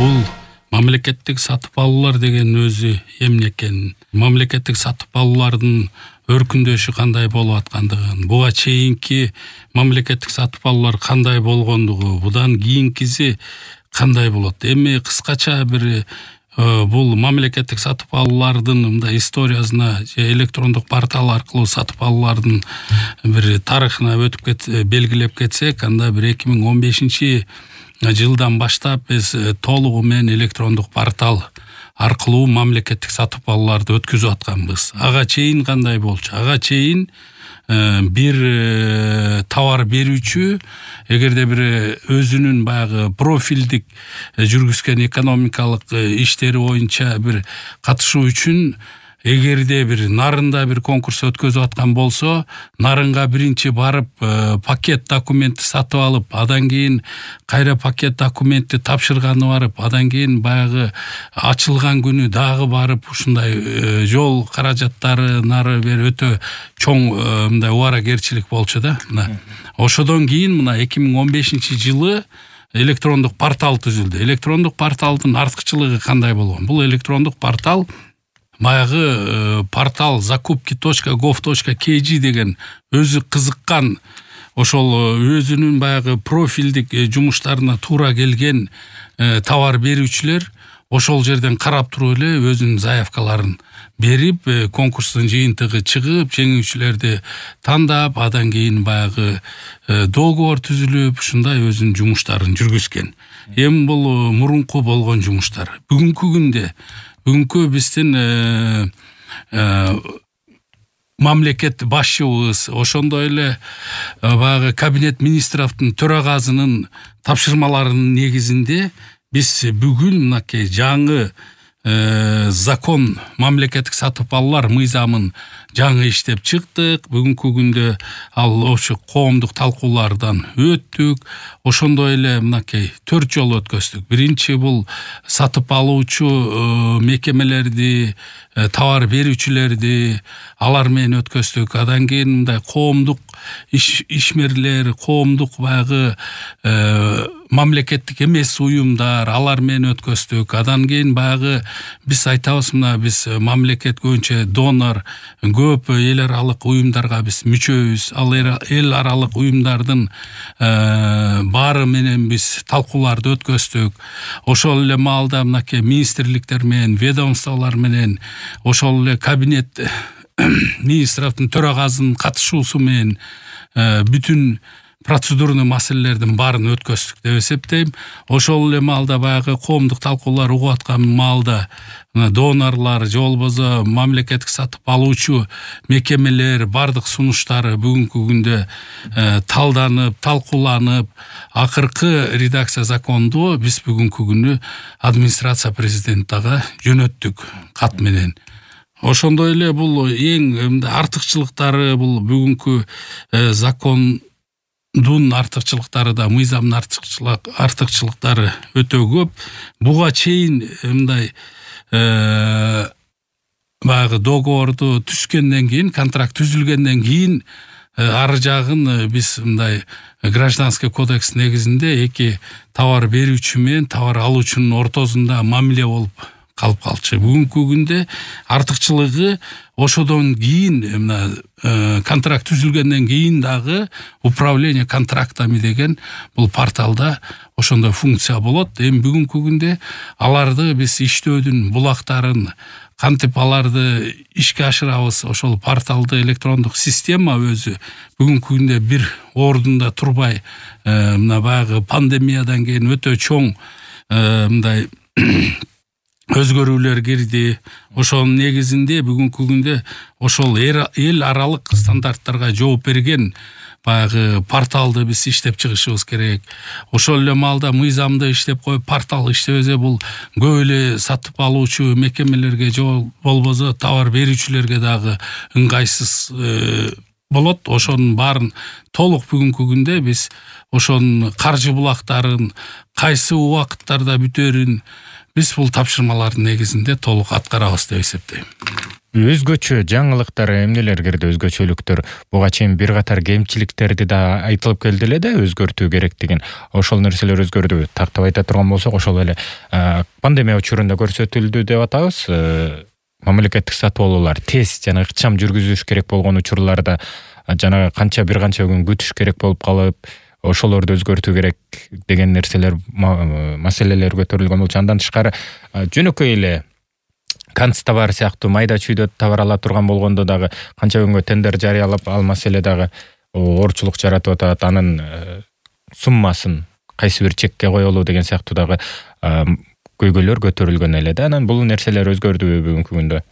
Бул мамлекеттик сатып алуулар деген өзү эмне экенин, мамлекеттик сатып алуулардын өркүндөшү кандай болуп аткандыгын, буга чейинки мамлекеттик сатып алуулар кандай болгондугу, будан кийинкиси кандай болот. Эми кыскача бир бул мамлекеттик сатып алуулардын мындай историясына же электрондук портал аркылуу сатып алуулардын бир тарыхына өтүп белгилеп кетсек, анда бир 2015 жылдан баштап биз толугу менен электрондук портал аркылуу мамлекеттик сатып алууларды өткөзүп атканбыз. Ага чейин кандай болчу? Ага чейин бир товар берүүчү эгерде бир өзүнүн баягы профилдик жүргүзгөн экономикалык иштери боюнча бир катышуу үчүн эгерде бир нарында бир конкурс өткөзүп аткан болсо, нарынга биринчи барып пакет документти сатып алып, адан кийин кайра пакет документти тапшырганы барып, адан кийин баягы ачылган күнү дагы барып ушундай жол каражаттары нары бери өтө чоң мындай убаракерчилик болчу да. Ошодон кийин мына 2015 жылы электрондук портал түзүлдү. Электрондук порталдын артыкчылыгы кандай болгон? Бул электрондук портал баягы портал zakupki.gov.kg деген өзү кызыккан, ошол өзүнүн баягы профилдик жумуштарына туура келген товар берүүчүлөр ошол жерден карап туруп эле өзүнүн заявкаларын берип, конкурстун жыйынтыгы чыгып, жеңүүчүлөрдү тандап, адан кийин баягы договор түзүлүп, ушундай өзүнүн жумуштарын жүргүзгөн. Эми бул мурунку болгон жумуштар. Бүгүнкү биздин мамлекет башчыбыз, ошондой эле баягы кабинет министровдун төрагасынын тапшырмаларынын негизинде биз бүгүн мынакей жаңы закон мамлекеттик сатып алуулар мыйзамын жаңы иштеп чыктык. Бүгүнкү күндө ал ошо коомдук талкуулардан өттүк. Ошондой эле мынакей 4 жол өткөздүк. Биринчи бул сатып алуучу мекемелерди, товар берүүчүлөрдү алар менен өткөздүк. Адан кийин мындай коомдук ишмерлер, коомдук баягы мамлекеттик эмес уюмдар, алар менен өткөздүк. Адан кийин баягы биз айтабыз, мына биз мамлекет көбүнчө донор, көп эл аралык уюмдарга биз мүчөбүз. Ал эл аралык уюмдардын баары менен биз талкууларды өткөздүк. Ошол эле маалда мынакей министрликтер менен, ведомстволор менен, ошол эле кабинет министровдун төрагасынын катышуусу менен бүтүн процедурный маселелердин баарын өткөздүк деп эсептейм. Ошол эле маалда баягы коомдук талкуулар угуп аткан маалда донорлар же болбосо мамлекеттик сатып алуучу мекемелер бардык сунуштары бүгүнкү күндө талданып, талкууланып, акыркы редакция законду биз бүгүнкү күнү администрация президенттага жөнөттүк кат менен. Ошондой эле бул эң артыкчылыктары, бул бүгүнкү закондун артыкчылыктары да, мыйзамдын артыкчылыктары өтө көп. Буга чейин мындай баягы договорду түзгөндөн кийин, контракт түзүлгөндөн кийин ары жагын биз мындай гражданский кодекс негизинде эки товар берүүчү менен товар алуучунун ортосунда мамиле болуп калып калчу. Бүгүнкү күндө артыкчылыгы ошодон кийин мына контракт түзүлгөндөн кийин дагы управление контрактами деген бул порталда ошондой функция болот. Эми бүгүнкү күндө аларды биз иштөөдүн булактарын кантип аларды ишке ашырабыз, ошол порталды электрондук система өзү бүгүнкү күндө бир ордунда турбай, мына баягы пандемиядан кийин өтө чоң мындай өзгөрүүлөр кирди. Ошонун негизинде бүгүнкү күндө ошол эл аралык стандарттарга жооп берген баягы порталды биз иштеп чыгышыбыз керек. Ошол эле маалда мыйзамды иштеп коюп, портал иштебесе бул көп эле сатып алуучу мекемелерге же болбосо товар берүүчүлөргө дагы ыңгайсыз болот. Ошонун баарын толук бүгүнкү күндө биз ошонун каржы булактарын кайсы убакыттарда бүтөрүн биз бул тапшырмалардын негизинде толук аткарабыз деп эсептейм. Өзгөчө жаңылыктар эмнелер кирди, өзгөчөлүктөр? Буга чейин бир катар кемчиликтерди да айтылып келди эле да, өзгөртүү керек деген. Ошол нерселер өзгөрдүбү? Тактап айта турган болсок, ошол эле пандемия учурунда көрсөтүлдү деп атабыз. Мамлекеттик сатып алуулар тез жана ыкчам жүргүзүлүш керек болгон учурларда жана бир канча күн күтүш керек болуп калып, ошолорду өзгөртүү керек деген нерселер, маселелер көтөрүлгөн болчу. Андан тышкары жөнөкөй эле канцтовар сыяктуу майда чүйдө товар ала турган болгондо дагы канча күнгө тендер жарыялап, ал маселе дагы оорчулук жаратып атат. Анын суммасын кайсы бир чекке коелу деген сыяктуу дагы көйгөйлөр көтөрүлгөн эле да. Анан бул нерселер өзгөрдүбү бүгүнкү күндө?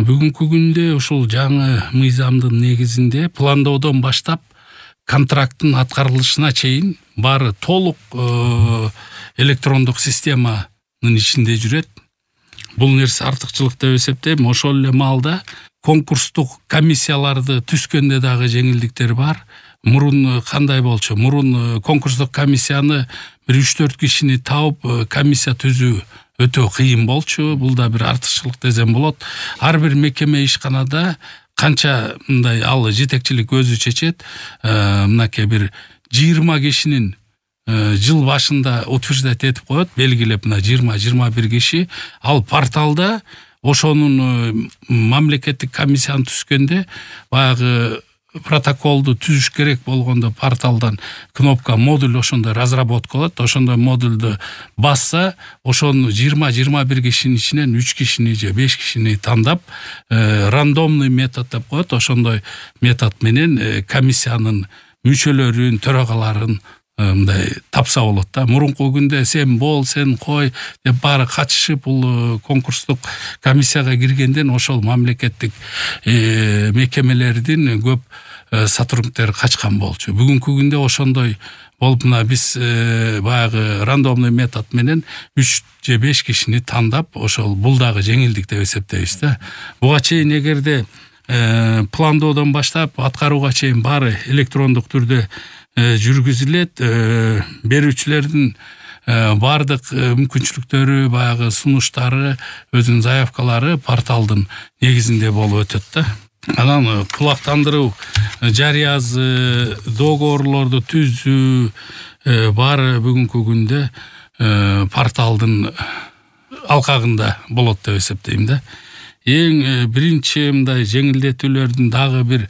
Бүгүнкү күндө ушул жаңы мыйзамдын негизинде пландоодон баштап контракттын аткарылышына чейин баары толук электрондук системанын ичинде жүрөт. Бул нерсе артыкчылык деп эсептейм. Ошол эле маалда конкурстук комиссияларды түзгөндө дагы жеңилдиктер бар. Мурун кандай болчу? Мурун конкурстук комиссияны бир 3-4 кишини таап комиссия түзүү өтө кыйын болчу. Бул да бир артыкчылык десем болот. Ар бир мекеме ишканада канча мындай ал жетекчилик өзү чечет. Мынакей бир 20 кишинин жыл башында утверждать этип коет, белгилеп, мына 20-21 киши ал порталда ошонун мамлекеттик комиссияны түзгөндө баягы протоколду түзүш керек болгондо порталдан кнопка модуль ошондой разработка болот. Ошондой модулду басса, ошону 20-21 кишинин ичинен 3 кишини же 5 кишини тандап, рандомный метод деп коет. Ошондой метод менен комиссиянын мүчөлөрүн, төрагаларын мындай тапса болот да. Мурунку күндө сен бол, сен кой деп баары катышып, бул конкурстук комиссияга киргенден ошол мамлекеттик мекемелердин көп сотрудниктери качкан болчу. Бүгүнкү күндө ошондой болуп, мына биз баягы рандомный метод менен 3 же 5 кишини тандап, ошол бул дагы жеңилдик деп эсептейбиз да. Буга чейин эгерде пландоодон баштап аткарууга чейин баары электрондук түрдө жүргүзүлөт, берүүчүлөрдүн бардык мүмкүнчүлүктөрү, баягы сунуштары, өзүнүн заявкалары порталдын негизинде болуп өтөт да. Анан кулактандыруу, жарыязы, договорлорду түзүү баары бүгүнкү күндө порталдын алкагында болот деп эсептейм да. Эң биринчи мындай жеңилдетүүлөрдүн дагы бир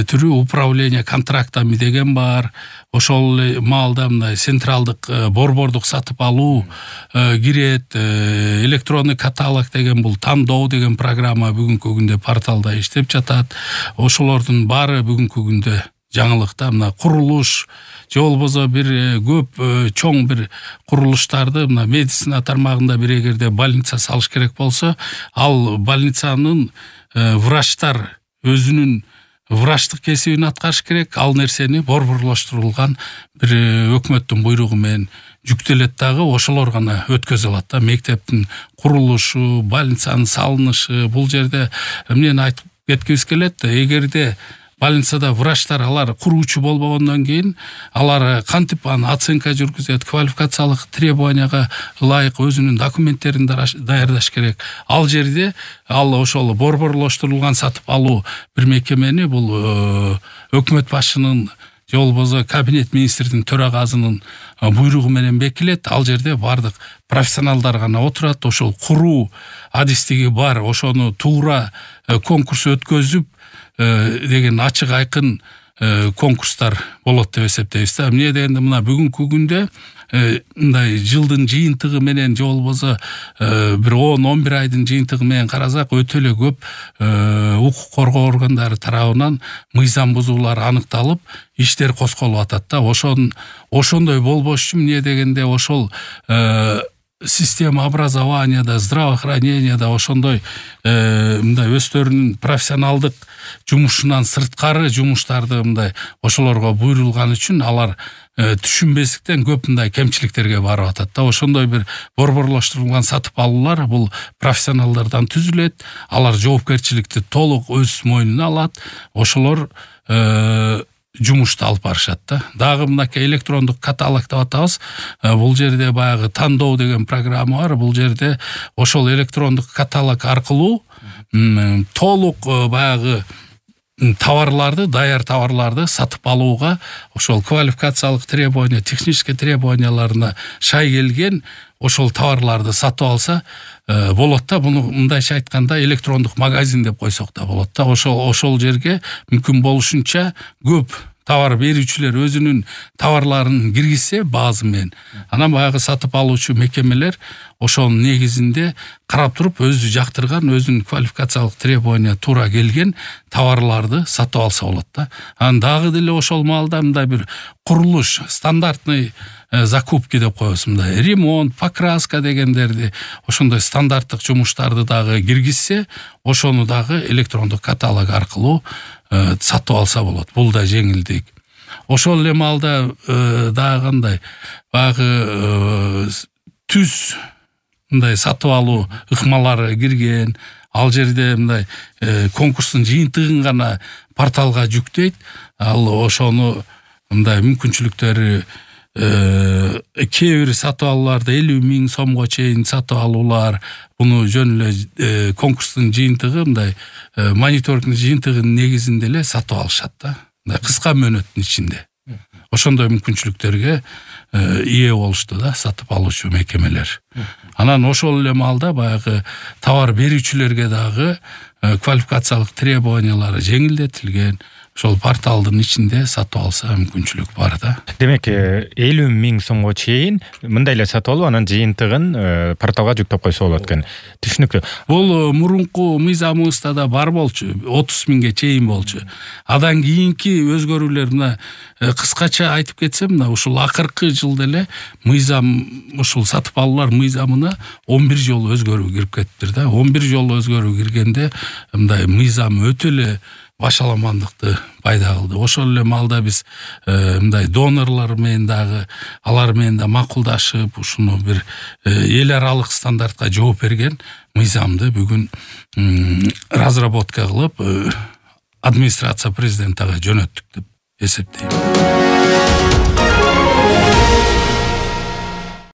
түрү управление контрактами деген бар. Ошол маалда мындай централдык борбордук сатып алуу кирет. Электронный каталог деген бул тандоо деген программа бүгүнкү күндө порталда иштеп жатат. Ошолордун баары бүгүнкү күндө жаңылыкта. Мына курулуш же болбосо бир көп чоң бир курулуштарды, мына медицина тармагында бир эгерде больница салыш керек болсо, ал больницанын врачтар өзүнүн врачтык кесибин аткарыш керек. Ал нерсени борборлоштурулган бир өкмөттүн буйругу менен жүктөлөт дагы, ошолор гана өткөзө алат да. Мектептин курулушу, больницанын салынышы, бул жерде эмнени айтып кеткибиз келет? Эгерде больницада врачтар алар куруучу болбогондон кийин алар кантип оценка жүргүзөт, квалификациялык требованияга ылайык өзүнүн документтерин даярдаш керек. Ал жерде ошол борборлоштурулган сатып алуу бир мекемени бул өкмөт башчынын же болбосо кабинет министрдин төрагасынын буйругу менен бекилет. Ал жерде бардык профессионалдар гана отурат. Ошол куруу адистиги бар, ошону туура конкурс өткөзүп деген ачык айкын конкурстар болот деп эсептейбиз да. Эмне дегенде, мына бүгүнкү күндө мындай жылдын жыйынтыгы менен же болбосо бир 10-11 айдын жыйынтыгы менен карасак, өтө эле көп укук коргоо органдары тарабынан мыйзам бузуулар аныкталып, иштер косколуп атат да. Ошондой болбош үчүн эмне дегенде, ошол система образованияда, здравоохраненияда ошондой мындай өздөрүнүн профессионалдык жумушунан сырткары жумуштарды мындай ошолорго буйрулган үчүн алар түшүнбестиктен көп мындай кемчиликтерге барып атат да. Ошондой бир борборлоштурулган сатып алуулар бул профессионалдардан түзүлөт. Алар жоопкерчиликти толук өз мойнуна алат. Ошолор жумушту алып барышат да. Дагы мынакей электрондук каталог деп атабыз. Бул жерде баягы тандоо деген программа бар. Бул жерде ошол электрондук каталог аркылуу толук баягы товарларды, даяр товарларды сатып алууга ошол квалификациялык требование, технический требованияларына шай келген ошол товарларды сатып алса болот да. Буну мындайча айтканда электрондук магазин деп койсок да болот да. Ошол жерге мүмкүн болушунча көп товар берүүчүлөр өзүнүн товарларын киргизсе базы менен, анан баягы сатып алуучу мекемелер ошонун негизинде карап туруп өзү жактырган, өзүнүн квалификациялык требования туура келген товарларды сатып алса болот да. Анан дагы деле ошол маалда мындай бир курулуш, стандартный закупки деп коебуз, мындай ремонт, покраска дегендерди, ошондой стандарттык жумуштарды дагы киргизсе, ошону дагы электрондук каталог аркылуу сатып алса болот. Бул да жеңилдик. Ошол эле маалда дагы кандай баягы түз мындай сатып алуу ыкмалары кирген, ал жерде мындай конкурстун жыйынтыгын гана порталга жүктөйт. Ал ошону мындай мүмкүнчүлүктөрү кээ бир сатып алууларда 50 000 сомго чейин сатып алуулар, буну жөн эле конкурстун жыйынтыгы мындай мониторингдин жыйынтыгынын негизинде эле сатып алышат да. Мындай кыска мөөнөттүн ичинде. Ошондой мүмкүнчүлүктөргө ие болушту да сатып алуучу мекемелер. Анан ошол эле маалда баягы товар берүүчүлөргө дагы квалификациялык требованиялары жеңилдетилген. Ошол порталдын ичинде сатып алса мүмкүнчүлүк бар да. Демек 50 000 сомго чейин мындай эле сатып алып, анан жыйынтыгын порталга жүктөп койсо болот экен. Түшүнүктүү. Бул мурунку мыйзамыбызда да бар болчу, 30 000ге чейин болчу. Адан кийинки өзгөрүүлөр мына кыскача айтып кетсем, мына ушул акыркы жылда эле мыйзам, ушул сатып алуулар мыйзамына 11 жолу өзгөрүү кирип кетиптир да. 11 жолу өзгөрүү киргенде мындай мыйзам өтө эле башаламандыкты пайда кылды. Ошол эле маалда биз мындай донорлор менен дагы, алар менен да макулдашып, ушуну бир эл аралык стандартка жооп берген мыйзамды бүгүн разработка кылып администрация президентага жөнөттүк деп эсептейм.